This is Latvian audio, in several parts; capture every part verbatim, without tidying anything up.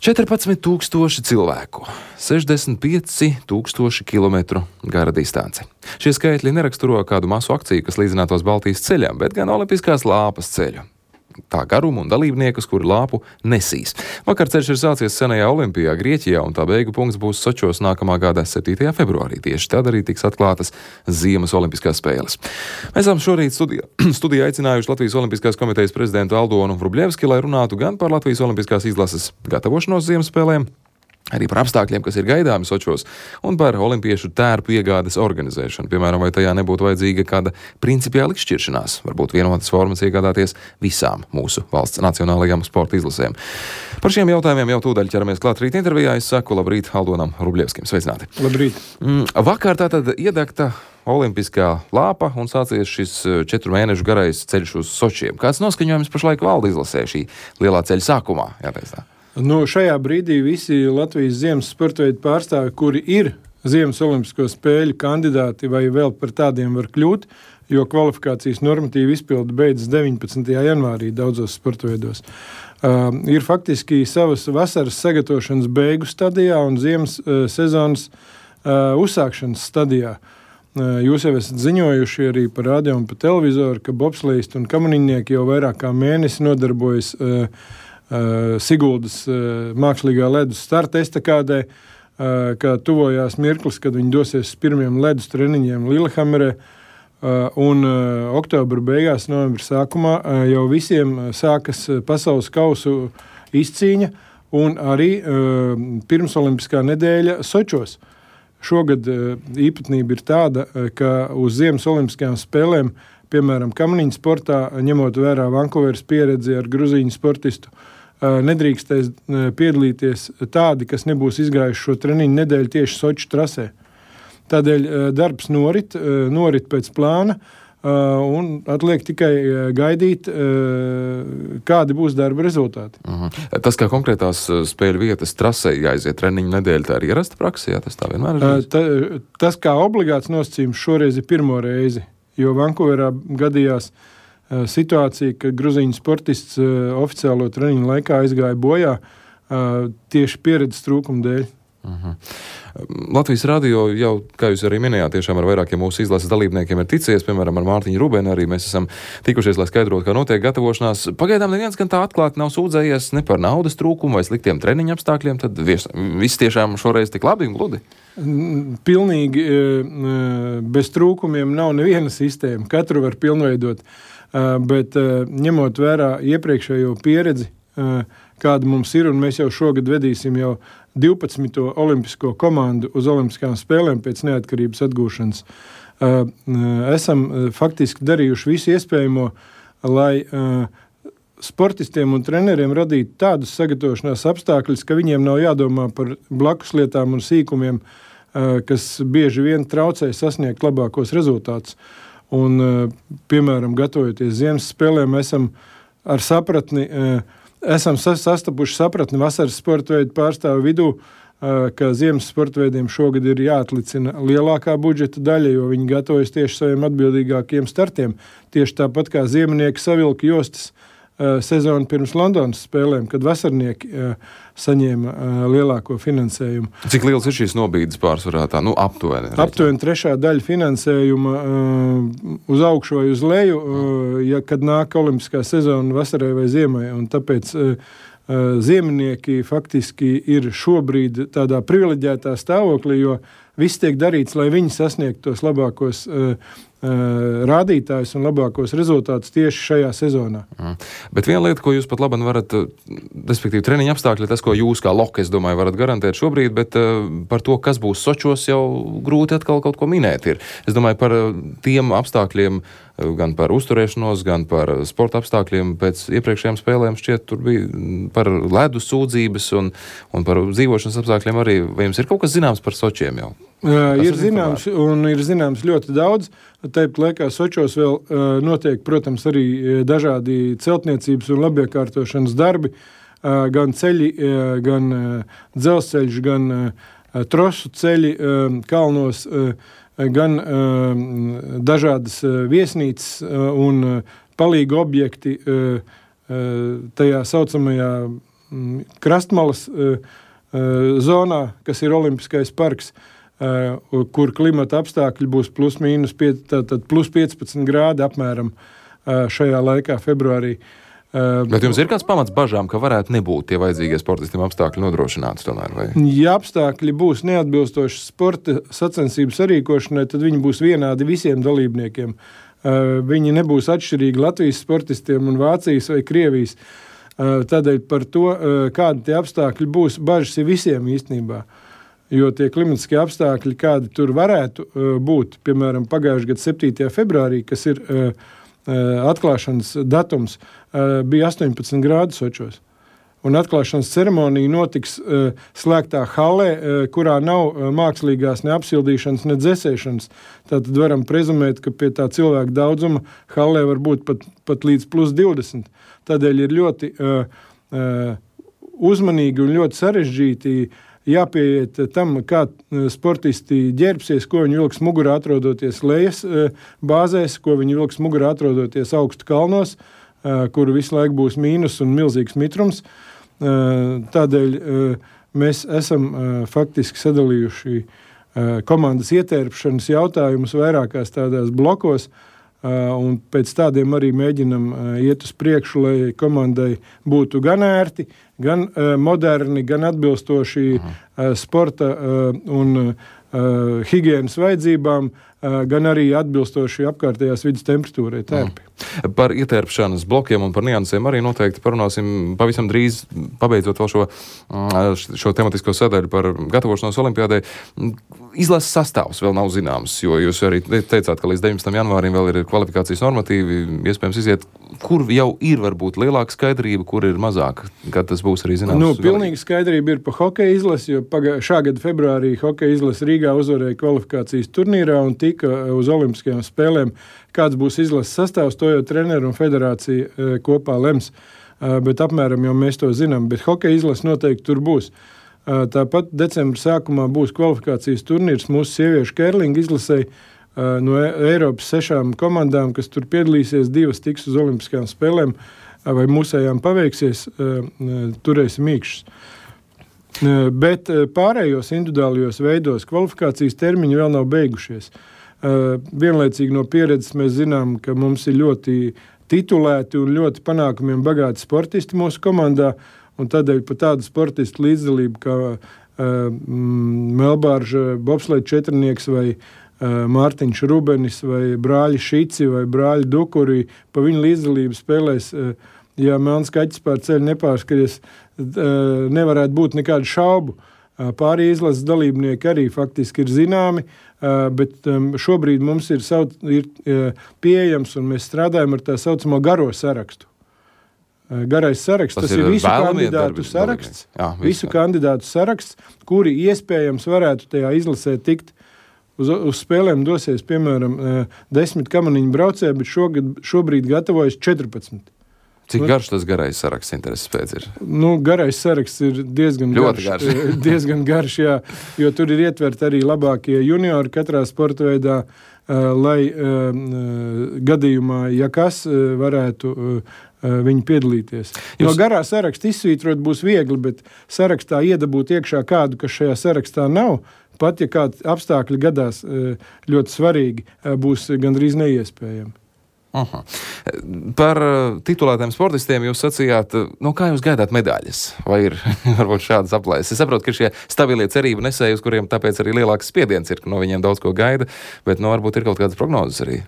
četrpadsmit tūkstoši cilvēku, sešdesmit pieci tūkstoši kilometru gara distance. Šie skaitļi neraksturo kādu masu akciju, kas līdzinātos Baltijas ceļam, bet gan Olimpiskās lāpas ceļu. Tā garumu un dalībniekus, kuri lāpu nesīs. Vakar ceļš ir sācies senajā Olimpijā, Grieķijā, un tā beigu punkts būs Sočos nākamā gada septītajā februārī. Tieši tad arī tiks atklātas Ziemas Olimpiskās spēles. Mēs esam šorīt studijā, studijā aicinājuši Latvijas Olimpiskās komitejas prezidentu Aldonu Vrublevski, lai runātu gan par Latvijas Olimpiskās izlases gatavošanos Ziemas spēlēm, arī par apstākļiem, kas ir gaidāmi Sočos, un par olimpiešu tērpu iegādes organizēšanu. Piemēram, vai tajā nebūtu vajadzīga kāda principiāla izšķiršanās, varbūt vienotas formas iegādāties visām mūsu valsts nacionālajām sporta izlasēm. Par šiem jautājumiem jau tūdaļ ķeramies klāt rīt intervijā. Es saku labrīt Aldonam Vrublevskim. Sveicināti! Labrīt! Vakar tātad iedegta Olimpiskā lāpa un sācies šis četru mēnešu garais ceļš uz Sočiem. Kāds noskaņojums pašlaik valda izlasē šī lielā ceļa sākumā? Jāteic tā. Nu, šajā brīdī visi Latvijas ziemas sportveidu pārstāvi, kuri ir Ziemas Olimpisko spēļu kandidāti vai vēl par tādiem var kļūt, jo kvalifikācijas normatīva izpilde beidzas deviņpadsmitajā janvārī daudzos sportveidos. Uh, ir faktiski savas vasaras sagatavošanas beigu stadijā un ziemas uh, sezonas uh, uzsākšanas stadijā. Uh, jūs jau esat ziņojuši arī par radio un par televizoru, ka bobsleisti un kamaniņnieki jau vairāk kā mēnesi nodarbojas uh, Uh, Siguldas uh, mākslīgā ledus starta estakādē, uh, kā tuvojās mirklis, kad viņi dosies uz pirmiem ledus treniņiem Lillehammerē, uh, un uh, oktobra beigās, novembra sākumā uh, jau visiem sākas pasaules kausu izcīņa un arī uh, pirmsolimpiskā nedēļa Sočos. Šogad uh, īpatnība ir tāda, uh, ka uz Ziemas olimpiskajām spēlēm, piemēram, kamaniņu sportā, ņemot vērā Vankūveras pieredzi ar gruzīņu sportistu, nedrīkstēs piedalīties tādi, kas nebūs izgājuši šo treniņu nedēļu tieši Soču trasē. Tādēļ darbs norit, norit pēc plāna, un atliek tikai gaidīt, kādi būs darba rezultāti. Uh-huh. Tas, kā konkrētās spēļu vietas trasē jāiziet treniņu nedēļu, tā ir ierasta praksē, jā, tas tā vienmēr ir? Ta, tas kā obligāts nosacījums šoreiz ir pirmo reizi, jo Vankūverā gadījās uh, situācija, ka gruzīņu sportists uh, oficiālo treniņu laikā aizgāja bojā uh, tieši pieredzes trūkuma dēļ. Uh-huh. Latvijas radio jau, kā jūs arī minējāt, tiešām ar vairākiem mūsu izlases dalībniekiem ir ticies, piemēram, ar Mārtiņu Rubēnu arī mēs esam tikušies, lai skaidrotu, kā notiek gatavošanās. Pagaidām neviens gan tā atklāti nav sūdzējies ne par naudas trūkumu vai sliktiem treniņu apstākļiem, tad viss, viss tiešām šoreiz tik labi un gludi. Pilnīgi bez trūkumiem nav neviena sistēma, katru var pilnveidot, bet ņemot vērā iepriekšējo pieredzi, kāda mums ir, un mēs jau šogad vedīsim jau divpadsmito olimpisko komandu uz olimpiskām spēlēm pēc neatkarības atgūšanas. Esam faktiski darījuši visu iespējamo, lai sportistiem un treneriem radīt tādus sagatavošanās apstākļus, ka viņiem nav jādomā par blakus lietām un sīkumiem, kas bieži vien traucē sasniegt labākos rezultātus. Un, piemēram, gatavojoties Ziemas spēlēm, esam ar sapratni, esam sastapuši sapratni vasaras sportveidu pārstāvu vidū, ka Ziemas sportveidiem šogad ir jāatlicina lielākā budžeta daļa, jo viņi gatavojas tieši saviem atbildīgākiem startiem. Tieši tāpat kā ziemnieki savilka jostas sezonu pirms Londonas spēlēm, kad vasarnieki saņēma lielāko finansējumu. Cik liels ir šīs nobīdes pārsvarā tā? Nu, aptuveni. Aptuveni trešā daļa finansējuma uz augšu vai uz leju, ja kad nāk olimpiskā sezona vasarai vai ziemai, un tāpēc ziemnieki faktiski ir šobrīd tādā privileģētā stāvoklī, jo viss tiek darīts, lai viņi sasniegtu tos labākos uh, uh, rādītājus un labākos rezultātus tieši šajā sezonā. Mm. Bet viena lieta, ko jūs pat labāk varat, respektīvi treniņa apstākļi, tas, ko jūs kā loka, es domāju, varat garantēt šobrīd, bet uh, par to, kas būs Sočos, jau grūti atkal kaut ko minēt ir. Es domāju, par uh, tiem apstākļiem, uh, gan par uzturēšanos, gan par sporta apstākļiem pēc iepriekšējām spēlēm šķiet, tur bija par ledus sūdzības un, un par dzīvošanas apstākļiem arī. Vai jums ir kaut kas zināms par Sočiem jau? Uh, ir zināms, un ir zināms ļoti daudz. Tāpat laikā Sočos vēl uh, notiek, protams, arī dažādi celtniecības un labiekārtošanas darbi, uh, gan ceļi, uh, gan uh, dzelzceļš, gan uh, trosu ceļi uh, kalnos, uh, gan uh, dažādas uh, viesnīcas uh, un uh, palīgu objekti uh, uh, tajā saucamajā krastmalas uh, uh, zonā, kas ir Olimpiskais parks, uh, kur klimata apstākļi būs plus mīnus pie, tātad plus piecpadsmit grādi apmēram uh, šajā laikā, februārī. Uh, Bet jums ir kāds pamats bažām, ka varētu nebūt tie vajadzīgie sportistiem apstākļi nodrošināti tomēr? Vai? Ja apstākļi būs neatbilstoši sporta sacensību sarīkošanai, tad viņi būs vienādi visiem dalībniekiem. Uh, viņi nebūs atšķirīgi Latvijas sportistiem un Vācijas vai Krievijas. Uh, tādēļ par to, uh, kādi tie apstākļi būs, bažas ir visiem īstenībā. Jo tie klimatiskie apstākļi, kādi tur varētu uh, būt, piemēram, pagājušajā gada septītajā februārī, kas ir uh, atklāšanas datums, bija astoņpadsmit grādi Sočos. Un atklāšanas ceremonija notiks slēgtā hallē, kurā nav mākslīgās ne apsildīšanas, ne dzesēšanas. Tātad varam prezumēt, ka pie tā cilvēku daudzuma hallē var būt pat, pat līdz plus divdesmit. Tādēļ ir ļoti uh, uh, uzmanīgi un ļoti sarežģīti jāpieiet tam, kā sportisti ģērbsies, ko viņi vilks mugurā atrodoties lejas bāzēs, ko viņi vilks mugurā atrodoties augstu kalnos, kur visu laiku būs mīnus un milzīgs mitrums. Tādēļ mēs esam faktiski sadalījuši komandas ietērpšanas jautājumus vairākās tādās blokos, un pēc tādiem arī mēģinam iet uz priekšu, lai komandai būtu gan ērti, gan moderni, gan atbilstoši Aha. sporta un higienas vajadzībām, gan arī atbilstoši apkārtējās vidas temperatūrai tērpi. Par ietērpšanas blokiem un par niansēm arī noteikti parunāsim pavisam drīz, pabeidzot vēl šo, šo tematisko sadaļu par gatavošanos olimpiādai. Izlases sastāvs vēl nav zināms, jo jūs arī teicāt, ka līdz deviņpadsmitajam janvārim vēl ir kvalifikācijas normatīvi, iespējams iziet, kur jau ir varbūt lielāka skaidrība, kur ir mazāk, kad tas būs arī zināms. Nu, pilnīgi skaidrība ir pa hokeja izlasi, jo pagā, šā gada februārī hokeja izlasi Rīgā uzvarēja kvalifikācijas turnīrā un tika uz Olimpiskajām spēlēm. Kāds būs izlases sastāvs, to jau treneru un federācija e, kopā lems, e, bet apmēram jau mēs to zinām, bet hokeja izlase noteikti tur būs. E, tāpat decembra sākumā būs kvalifikācijas turnīrs mūsu sieviešu kērlinga izlasei e, no Eiropas sešām komandām, kas tur piedalīsies, divas tiks uz Olimpiskajām spēlēm, e, vai mūsējām paveiksies, e, e, turēsim mīkšas. E, bet pārējos individuālajos veidos kvalifikācijas termiņi vēl nav beigušies. Uh, vienlaicīgi no pieredzes mēs zinām, ka mums ir ļoti titulēti un ļoti panākumiem bagāti sportisti mūsu komandā, un tādēļ pa tādu sportistu līdzdalību kā uh, Melbārža bobslēja četrnieks vai uh, Mārtiņš Rubenis vai brāļi Šici vai brāļi Dukuri, pa viņu līdzdalību spēlēs, uh, ja Melns kaķis pār ceļu nepārskaties, uh, nevarētu būt nekādu šaubu. Pārī izlases dalībnieki arī faktiski ir zināmi, bet šobrīd mums ir, sauc, ir pieejams un mēs strādājam ar tā saucamo garo sarakstu. Garais saraksts, tas, tas ir, ir visu kandidātu darbi, saraksts, Jā, visu, visu kandidātu saraksts, kuri iespējams varētu tajā izlasē tikt. Uz, uz spēlēm dosies, piemēram, desmit kamaniņu braucēji, bet šogad, šobrīd gatavojas četrpadsmit. Cik garš tas garais saraksts intereses pēc ir? Nu, garais saraksts ir diezgan Ļoti garš, garš. diezgan garš, jā, jo tur ir ietverti arī labākie juniori katrā sporta veidā, uh, lai uh, gadījumā, ja kas, uh, varētu uh, viņi piedalīties. Jūs... No garā saraksta izsvītrot būs viegli, bet sarakstā iedabūt iekšā kādu, kas šajā sarakstā nav, pat ja kādi apstākļi gadās uh, ļoti svarīgi, uh, būs gandrīz neiespējami. Aha. Par titulētiem sportistiem jūs sacījāt, nu, kā jūs gaidāt medaļas? Vai ir varbūt šādas aplēses? Es saprotu, ka šie stabilie cerību nesēji, uz kuriem tāpēc arī lielāks spiediens ir, ka no viņiem daudz ko gaida, bet nu, varbūt ir kaut kādas prognozes arī.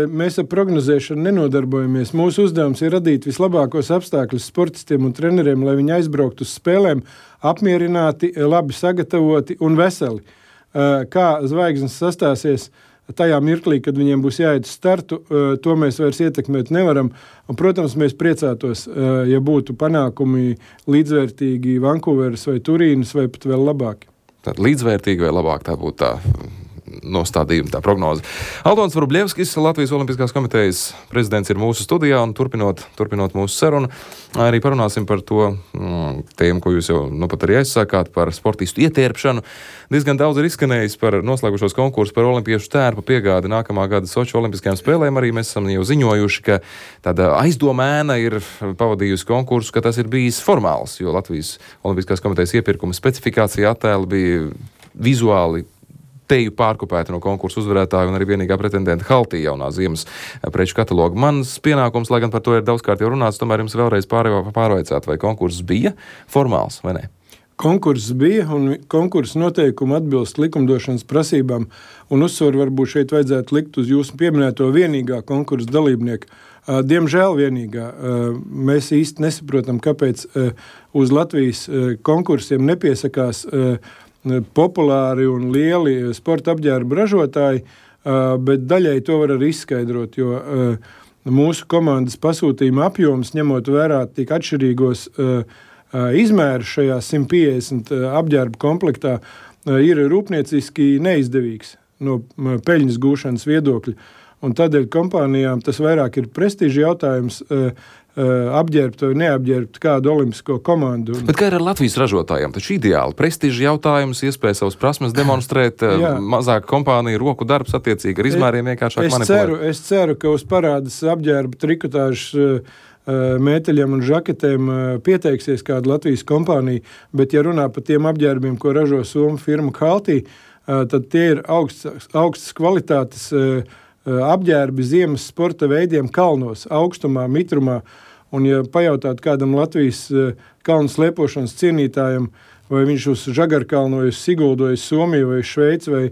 Mēs ar prognozēšanu nenodarbojamies. Mūsu uzdevums ir radīt vislabākos apstākļus sportistiem un treneriem, lai viņi aizbrauktu uz spēlēm apmierināti, labi sagatavoti un veseli. Kā zvaigznes sastāsies tajā mirklī, kad viņiem būs jāiet uz startu, to mēs vairs ietekmēt nevaram. Un, protams, mēs priecātos, ja būtu panākumi līdzvērtīgi Vankūveras vai Turīnas vai pat vēl labāki. Tad līdzvērtīgi vai labāk tā būtu tā nostādījuma, tā prognoze. Aldons Vrublievskis, Latvijas Olimpiskās komitejas prezidents, ir mūsu studijā, un turpinot, turpinot mūsu sarunu, arī parunāsim par to mm, tēmu, ko jūs jau nu pat arī aizsākāt, par sportistu ietērpšanu. Diezgan daudz ir izskanējis par noslēgušos konkursu par olimpiešu tērpu piegādi nākamā gada Soču olimpiskajām spēlēm. Arī mēs esam jau ziņojuši, ka tāda aizdomēna ir pavadījusi konkursu, ka tas ir bijis formāls, jo Latvijas Olimpiskās komitejas iepirkuma specifikācija attēli bija vizuāli teju pārkopēti no konkursu uzvarētāju un arī vienīgā pretendenta Haltī jaunā ziemas preču kataloga. Mans pienākums, lai gan par to ir daudzkārt jau runāts, tomēr jums vēlreiz pārvaicāt, vai konkurss bija formāls vai ne? Konkurss bija, un konkursa noteikumi atbilst likumdošanas prasībām, un uzsvaru varbūt šeit vajadzētu likt uz jūsu pieminēto vienīgā konkursa dalībnieku. Diemžēl vienīgā. Mēs īsti nesaprotam, kāpēc uz Latvijas konkursiem nepiesakās populāri un lieli sporta apģērbu ražotāji, bet daļai to var arī izskaidrot, jo mūsu komandas pasūtījuma apjoms, ņemot vērā tik atšķirīgos izmērus šajā simt piecdesmit apģērbu komplektā, ir rūpnieciski neizdevīgs no peļņas gūšanas viedokļa. Un tādēļ kompānijām tas vairāk ir prestiža jautājums apģērbt vai neapģērbt kādu olimpisko komandu. Bet kā ir ar Latvijas ražotājiem? Taču ideāli prestiža jautājums, iespēja savas prasmes demonstrēt, mazāk kompānija, roku darbs attiecīgi ar izmēriem vienkāršāk manipulēt. Ceru, es ceru, ka uz parādas apģērba trikotāžas mēteļiem un žaketēm pieteiksies kāda Latvijas kompānija, bet ja runā par tiem apģērbiem, ko ražo Somu firma Haltī, tad tie ir augsts, augsts kvalitātes apģērbi ziemas sporta veidiem kalnos, augstumā, mitrumā. Un ja pajautāt kādam Latvijas kalnu slēpošanas cienītājam, vai viņš uz Žagarkalnoju, Siguldoju, Somiju vai Šveici vai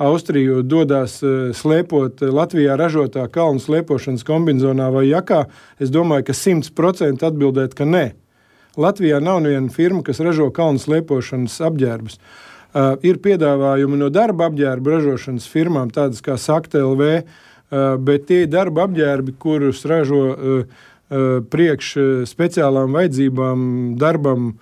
Austriju dodās slēpot Latvijā ražotā kalnu slēpošanas kombinzonā vai jakā, es domāju, ka simts procenti atbildēt, ka nē. Latvijā nav neviena firma, kas ražo kalnu slēpošanas apģērbus. Uh, ir piedāvājumi no darba apģērbu ražošanas firmām, tādas kā Sakta L V, uh, bet tie ir darba apģērbi, kurus ražo uh, uh, priekš speciālām vajadzībām darbam uh,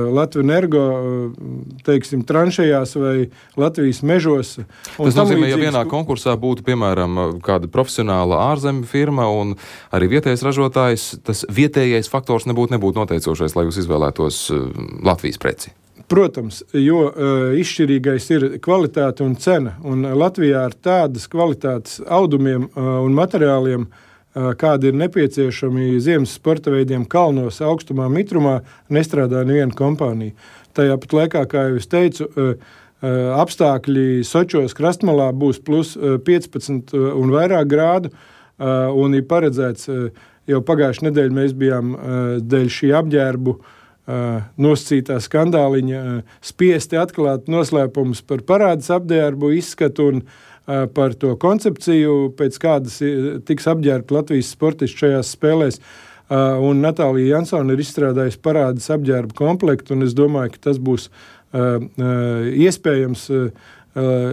Latvijas Energo, uh, teiksim, tranšējās vai Latvijas mežos. Tas nozīmē, ja vienā konkursā būtu, piemēram, kāda profesionāla ārzemju firma un arī vietējais ražotājs, tas vietējais faktors nebūtu, nebūtu noteicošais, lai jūs izvēlētos uh, Latvijas preci. Protams, jo uh, izšķirīgais ir kvalitāte un cena, un Latvijā ar tādas kvalitātes audumiem uh, un materiāliem, uh, kādi ir nepieciešami ziemas sporta veidiem kalnos, augstumā, mitrumā, nestrādā neviena kompānija. Tajā pat laikā, kā jau es teicu, uh, uh, apstākļi Sočos krastmalā būs plus uh, piecpadsmit un vairāk grādu, uh, un ir paredzēts, uh, jau pagājušajā nedēļā mēs bijām uh, dēļ šī apģērbu Uh, nosacītā skandāliņa uh, spiesti atklāt noslēpumus par parādas apģērbu izskatu un uh, par to koncepciju, pēc kādas tiks apģērbti Latvijas sportisti šajās spēlēs. Uh, un Natālija Jansone ir izstrādājusi parādas apģērbu komplektu, un es domāju, ka tas būs uh, uh, iespējams uh,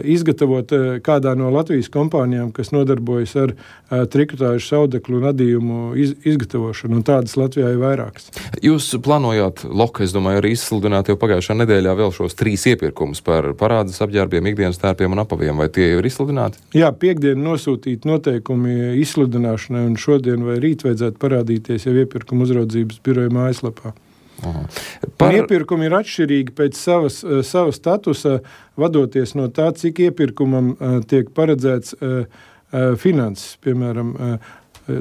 izgatavot kādā no Latvijas kompānijām, kas nodarbojas ar uh, trikotāžu, saudeklu un adījumu iz, izgatavošanu, un tādas Latvijā ir vairākas. Jūs plānojāt, Loka, es domāju, arī izsludināt jau pagājušā nedēļā vēl šos trīs iepirkumus par parādas apģērbiem, ikdienas tērpiem un apaviem, vai tie jau ir izsludināti? Jā, piekdien nosūtīt noteikumi izsludināšanai, un šodien vai rīt vajadzētu parādīties jau iepirkuma uzraudzības biroja mājaslapā. Par... Iepirkumi ir atšķirīgi pēc savas, sava statusa, vadoties no tā, cik iepirkumam uh, tiek paredzēts uh, uh, finanses. Piemēram, uh,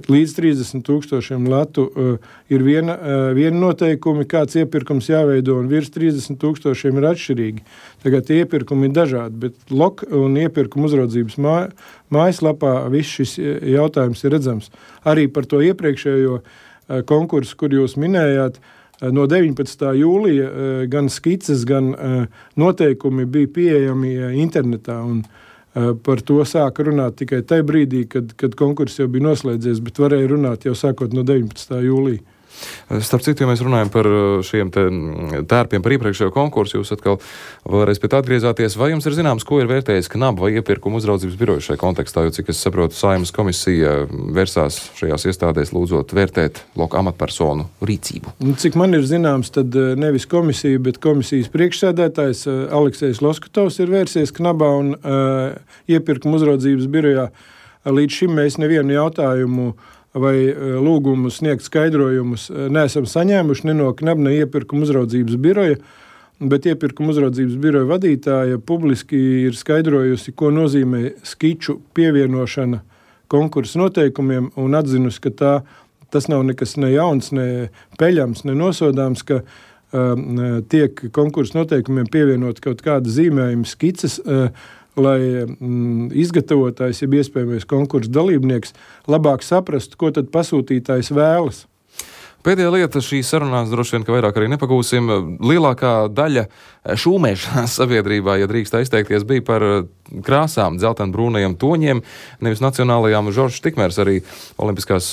līdz trīsdesmit tūkstošiem latu uh, ir viena, uh, viena noteikumi, kāds iepirkums jāveido, un virs trīsdesmit tūkstošiem ir atšķirīgi. Tagad tie iepirkumi ir dažādi, bet Lok un iepirkuma uzraudzības mā, mājaslapā viss šis jautājums ir redzams. Arī par to iepriekšējo uh, konkursu, kur jūs minējāt, no deviņpadsmitā jūlija gan skices, gan noteikumi bija pieejami internetā, un par to sāka runāt tikai tajā brīdī, kad, kad konkurss jau bija noslēdzies, bet varēja runāt jau sākot no deviņpadsmitā jūlija. Starp citu, ja mēs runājam par šiem te tērpiem par iepriekšējo konkursu, jūs atkal vēlreiz pie tā atgriezāties. Vai jums ir zināms, ko ir vērtējis KNAB vai iepirkuma uzraudzības biroja šajā kontekstā? Jo, cik es saprotu, Saeimas komisija versās šajās iestādēs lūdzot vērtēt loka amatpersonu rīcību. Cik man ir zināms, tad nevis komisija, bet komisijas priekšsēdētājs Aleksejs Loskutovs ir vērsies KNABā un uh, iepirkuma uzraudzības birojā. Līdz šim mēs nevienu jautājumu vai lūgumu sniegt skaidrojumus neesam saņēmuši ne no KNAB, ne iepirkuma uzraudzības biroja, bet iepirkuma uzraudzības biroja vadītāja publiski ir skaidrojusi, ko nozīmē skiču pievienošana konkursu noteikumiem un atzinusi, ka tā, tas nav nekas ne jauns, ne peļams, ne nosodāms, ka uh, tiek konkursu noteikumiem pievienot kaut kāda zīmējuma skices, uh, lai mm, izgatavotājs, ja iespējamais konkursu dalībnieks, labāk saprastu, ko tad pasūtītājs vēlas. Pēdējā lieta šīs sarunās droši vien, ka vairāk arī nepagūsim. Lielākā daļa šūmēšanās sabiedrībā, ja drīkst izteikties, bija par krāsām, dzeltenbrūnajiem toņiem, nevis nacionālajām. Žoržs Tikmērs, arī Olimpiskās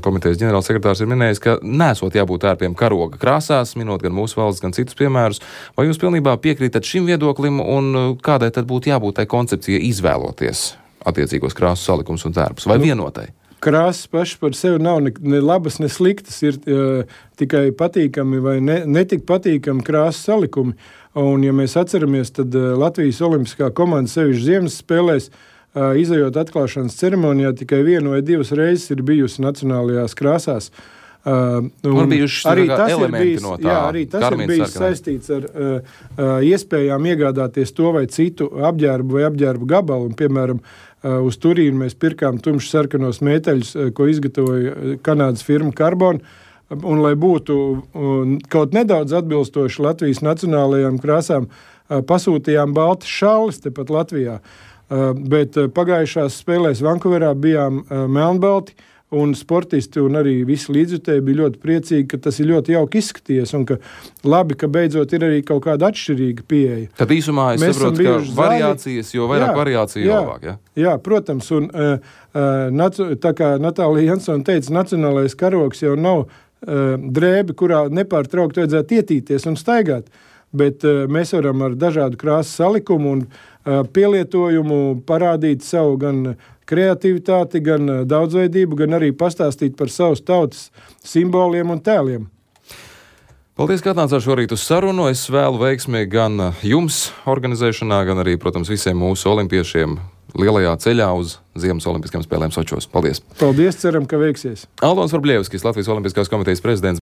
komitejas ģenerālsekretārs, ir minējis, ka nesot jābūt tērpiem karoga krāsās, minot gan mūsu valsts, gan citus piemērus. Vai jūs pilnībā piekrītat šim viedoklim un kādai tad būtu jābūt tai koncepcijai izvēloties attiecīgos krāsu salikums un tērpus? Vai vienotai? Krāsas paši par sevi nav ne, ne labas, ne sliktas, ir uh, tikai patīkami vai ne, netik patīkami krāsas salikumi. Un, ja mēs atceramies, tad uh, Latvijas olimpiskā komanda sevišķi ziemas spēlēs, uh, izejot atklāšanas ceremonijā, tikai vienu vai divas reizes ir bijusi nacionālajās krāsās. Uh, arī tas ir bijis, no tā, jā, arī tas ir bijis sarkanai. Saistīts ar uh, uh, iespējām iegādāties to vai citu apģērbu vai apģērbu gabalu. Un, piemēram, uh, uz Turīnu mēs pirkām tumši sarkanos mēteļus, uh, ko izgatavoja Kanādas firma Carbon. Un, lai būtu uh, kaut nedaudz atbilstoši Latvijas nacionālajām krāsām, uh, pasūtījām baltas šalles tepat Latvijā. Uh, bet uh, pagājušās spēlēs Vankūverā bijām uh, melnbalti, un sportisti un arī visi līdzjutēji bija ļoti priecīgi, ka tas ir ļoti jauki izskaties un ka labi, ka beidzot ir arī kaut kāda atšķirīga pieeja. Tad īsumā es Mēs saprotu, ka variācijas, jo vairāk jā, variāciju, jo labāk, ja? Jā, protams, un uh, tā kā Natālija Jansone teica, nacionālais karogs jau nav uh, drēbi, kurā nepārtraukt vajadzētu ietīties un staigāt, bet uh, mēs varam ar dažādu krāsu salikumu un uh, pielietojumu parādīt savu gan kreativitāti, gan daudzveidību, gan arī pastāstīt par savas tautas simboliem un tēliem. Paldies, ka atnācāt šorīt uz sarunu. Es vēlu veiksmi gan jums organizēšanā, gan arī, protams, visiem mūsu olimpiešiem lielajā ceļā uz Ziemas olimpiskajām spēlēm Sočos. Paldies! Paldies, ceram, ka veiksies! Aldons Varbļevskis, Latvijas Olimpiskās komitejas prezidents.